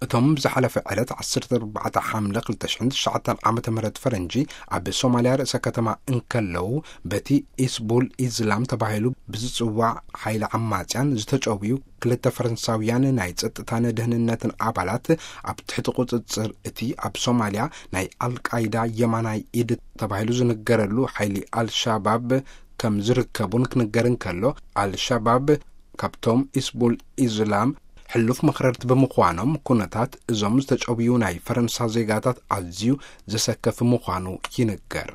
እቶም ብዝሓለፈ ዕለት ዓሰርተ ኣርባዕተ ሓምለ ክልተ ሽሕን ትሽዓተን ዓመተ ምህረት ፈረንጂ ኣብ ሶማልያ ርእሰ ከተማ እንከለዉ፣ በቲ ኢስቡል ኢዝላም ተባሂሉ ብዝጽዋዕ ሓይሊ ዓማጽያን ዝተጨውዩ ክልተ ፈረንሳውያን ናይ ጸጥታን ደህንነትን ኣባላት ኣብ ትሕቲ ቁጽጽር እቲ ኣብ ሶማልያ ናይ ኣልቃይዳ የማናይ ኢድ ተባሂሉ ዝንገረሉ ሓይሊ ኣልሻባብ ከም ዝርከቡን ክንገር እንከሎ፣ ኣልሻባብ ካብቶም ኢስቡል ኢዝላም ሕሉፍ መኽረርቲ ብምዃኖም፣ ኩነታት እዞም ዝተጨውዩ ናይ ፈረንሳ ዜጋታት ኣዝዩ ዘሰከፊ ምዃኑ ይንገር።